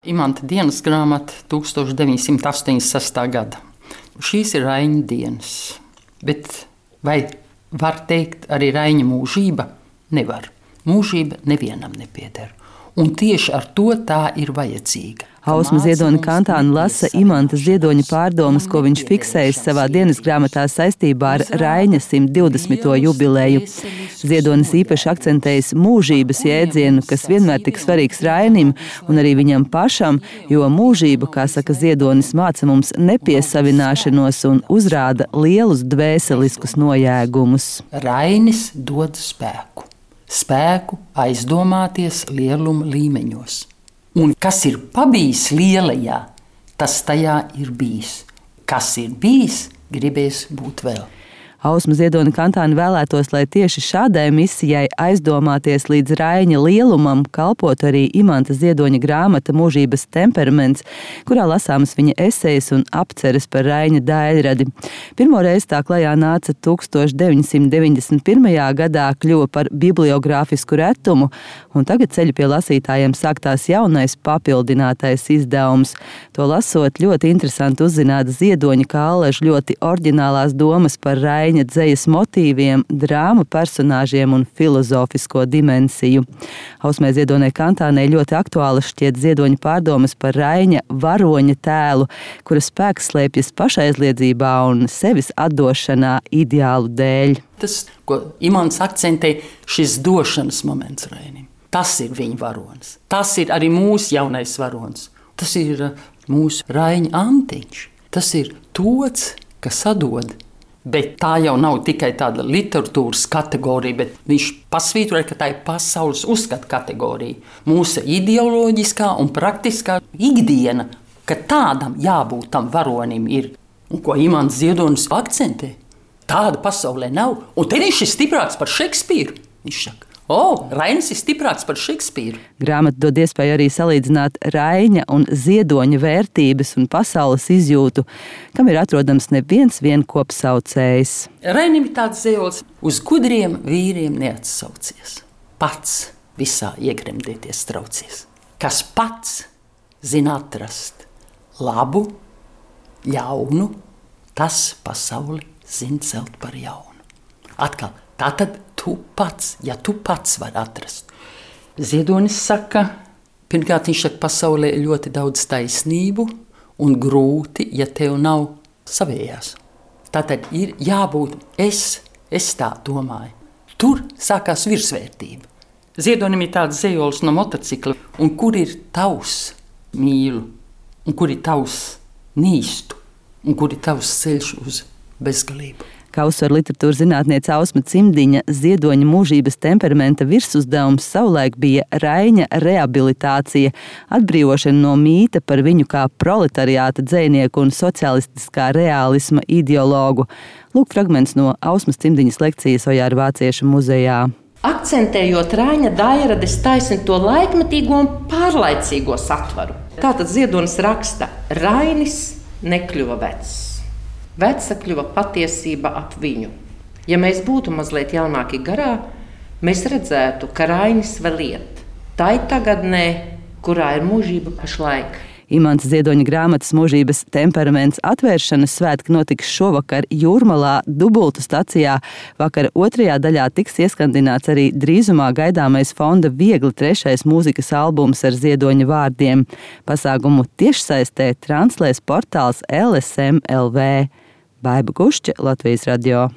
Imanta dienas grāmata 1986. gada. Šīs ir Raiņa dienas, bet vai var teikt arī Raiņa mūžība? Nevar. Mūžība nevienam nepieder. Un tieši ar to tā ir vajadzīga. Ausma Ziedoņa kantāna lasa Imanta Ziedoņa pārdomas, ko viņš fiksējis savā dienas grāmatā saistībā ar Raiņa 120. jubileju. Ziedonis īpaši akcentējis mūžības jēdzienu, kas vienmēr tik svarīgs Rainim un arī viņam pašam, jo mūžība, kā saka Ziedonis, māca mums nepiesavināšanos un uzrāda lielus dvēseliskus nojēgumus. Rainis dod spēku. Spēku aizdomāties lieluma līmeņos. Un kas ir pabijis lielajā, tas tajā ir bijis. Kas ir bijis, gribēs būt vēl. Ausma Ziedoņa kantāna vēlētos, lai tieši šādai misijai aizdomāties līdz Raiņa lielumam kalpot arī Imanta Ziedoņa grāmata Mūžības temperaments, kurā lasāmas viņa esejas un apceres par Raiņa daļradi. Pirmoreiz tā klajā nāca 1991. gadā, kļuva par bibliogrāfisku retumu, un tagad ceļu pie lasītājiem sāktās jaunais papildinātais izdevums. To lasot, ļoti interesanti uzzināt Ziedoņa kā Aleža ļoti oriģinālās domas par Raiņa dzejas motīviem, drāmu personāžiem un filozofisko dimensiju. Ausmai Ziedoņai kantānai ļoti aktuāli šķiet Ziedoņa pārdomas par Raiņa varoņa tēlu, kura spēks slēpjas pašaizliedzībā un sevis atdošanā ideālu dēļ. Tas, ko Imants akcentē, šis došanas moments Rainim. Tas ir viņa varonis. Tas ir arī mūsu jaunais varonis. Tas ir mūsu Raiņa antiņš. Tas ir tots, kas atdod. Bet tā jau nav tikai tāda literatūras kategorija, bet viņš pasvītroja, ka tā ir pasaules uzskata kategorija. Mūsu ideoloģiskā un praktiskā ikdiena, ka tādam jābūt tam varonim ir. Un ko Imants Ziedonis akcentē? Tāda pasaulē nav. Un te viņš ir stiprāks par Šekspīru. Viņš saka, Rainis ir stiprāks par Šekspīru. Grāmata dod iespēju arī salīdzināt Raiņa un Ziedoņa vērtības un pasaules izjūtu, kam ir atrodams neviens kopsaucējs. Rainim ir tāds zējols, uz gudriem vīriem neatsaucies. Pats visā iegremdēties traucies. Kas pats zina atrast labu, ļaunu, tas pasauli zina celt par jaunu. Atkal, tātad tu pats, ja tu pats vari atrast. Ziedonis saka, pirmkārt viņš saka, pasaulē ir ļoti daudz taisnību un grūti, ja tev nav savējās. Tātad ir jābūt, es tā domāju. Tur sākās virsvērtība. Ziedonim ir tāds zejols no motocikla, un kur ir tavs mīlu, un kur ir tavs nīstu, un kur ir tavs ceļš uz bezgalību. Kā uzsver literatūras zinātniece Ausma Cimdiņa, Ziedoņa mūžības temperamenta virsuzdevums savulaik bija Raiņa rehabilitācija, atbrīvošana no mīta par viņu kā proletariāta dzejnieku un socialistiskā reālisma ideologu. Lūk fragments no Ausmas Cimdiņas lekcijas Ojāra Vācieša muzejā. Akcentējot Raiņa daļrades taisni to laikmetīgo un pārlaicīgo satvaru. Tātad Ziedonis raksta, Rainis nekļuva vecs. Veca kļuva patiesība ap viņu. Ja mēs būtu mazliet jaunāki garā, mēs redzētu, ka Rainis vēl iet. Tā ir tagadnē, kurā ir mūžība pašlaik. Imanta Ziedoņa grāmatas Mūžības temperaments atvēršanas svētki notiks šovakar Jūrmalā Dubultu stacijā. Vakar otrajā daļā tiks ieskandināts arī drīzumā gaidāmais fonda Viegli 3. mūzikas albums ar Ziedoņa vārdiem. Pasākumu tiešsaistē translēs portāls LSM LV. Baiba Gušķe, Latvijas radio.